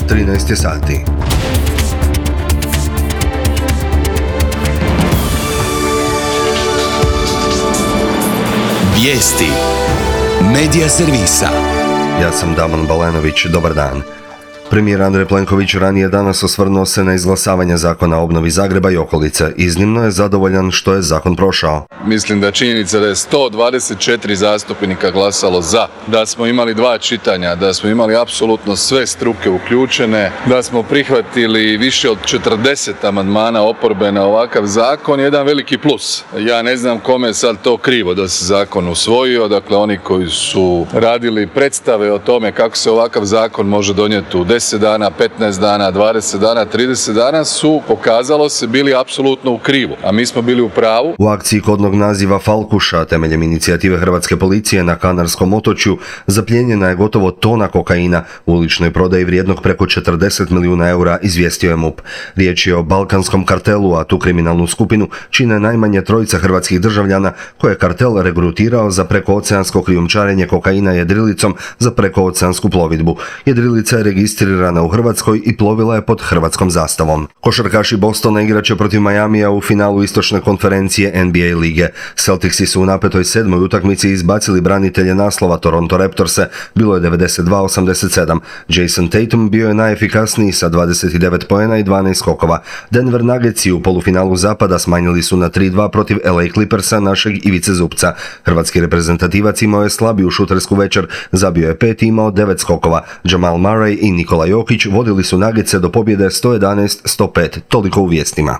13 sati. Vijesti Medija servisa. Ja sam Damon Balenović, dobar dan. Premijer Andrej Plenković ranije danas osvrnuo se na izglasavanje zakona o obnovi Zagreba i okolice. Iznimno je zadovoljan što je zakon prošao. Mislim da činjenica da je 124 zastupnika glasalo za, da smo imali 2 čitanja, da smo imali apsolutno sve struke uključene, da smo prihvatili više od 40 amandmana oporbe na ovakav zakon, jedan veliki plus. Ja ne znam kome je sad to krivo da se zakon usvojio, dakle oni koji su radili predstave o tome kako se ovakav zakon može donijeti u 10 dana, 15 dana, 20 dana, 30 dana su, pokazalo se, bili apsolutno u krivu, a mi smo bili u pravu. U akciji kodnog naziva Falkuša, temeljem inicijative Hrvatske policije na Kanarskom otočju, zaplijenjena je gotovo tona kokaina u uličnoj prodaji vrijednog preko 40 milijuna eura, izvijestio je MUP. Riječ je o balkanskom kartelu, a tu kriminalnu skupinu čine najmanje 3 hrvatskih državljana koje je kartel regrutirao za prekooceansko krijumčarenje kokaina jedrilicom za prekooceansku plovidbu. Jedrilica je registrirana u Hrvatskoj i plovila je pod hrvatskom zastavom. Košarkaši Bostona igraće protiv Miamija u finalu istočne konferencije NBA lige. Celticsi su u napetoj 7. utakmici izbacili branitelje naslova Toronto Raptorse, bilo je 92-87. Jason Tatum bio je najefikasniji sa 29 poena i 12 skokova. Denver Nuggetsi u polufinalu zapada smanjili su na 3-2 protiv LA Clippersa našeg Ivice Zupca. Hrvatski reprezentativac imao je slabiju šutersku večer, zabio je 5 i imao 9 skokova. Jamal Murray i Nikola Jokić vodili su Nuggetse do pobjede 111-105, toliko u vijestima.